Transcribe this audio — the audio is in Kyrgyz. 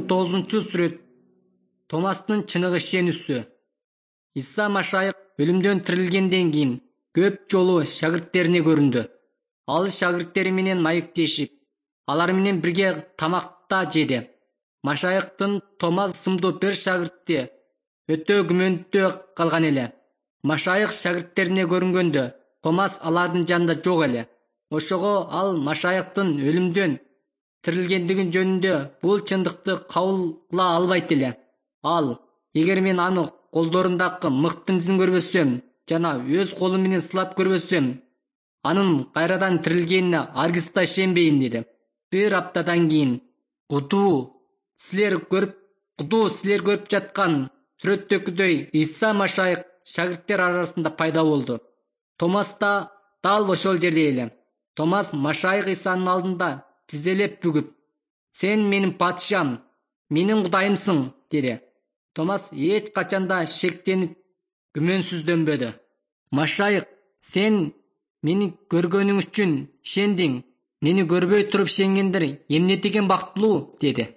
19-сүрөт. Томастын чыныгы ишенүүсү. Иса Машайык өлүмдөн тирилгенден кийин көп жолу шагирттерине көрүндү. Ал шагирттери менен маектешип, алар менен бирге тамакта жеди. Машайыктын Томас сымдуу бир шагирти өтө күмөндүү калган эле. Машайык шагирттерине көрүнгөндө Томас алардын жанында жок эле. Ошого ал Машайыктын өлүмдөн тирилгендиги жөнүндө бул чындыкты кабыл албайт эле. Ал: эгер мен аны колдорундагы мыктын изин көрбөсөм жана өз колум менен сылап көрбөсөм, анын кайрадан тирилгенине аргыс да ишенбейм деди. Бир аптадан кийин кутуу силер көрүп жаткан сүрөттөгүдөй Иса Машайык шагирттер арасында пайда болду. Томас да дал ошол жерде эле. Томас Машайык Исанын алдында тизелеп бүгүп: «Сен менин патышам, менин Кудайымсың» деди. Томас эч качанда шектенип, күмөнсүздөнбөдү. Машайык: «Сен мени көргөнүң үчүн ишендиң, мени көрбөй туруп ишенгендер эмне деген бактылуу» деди.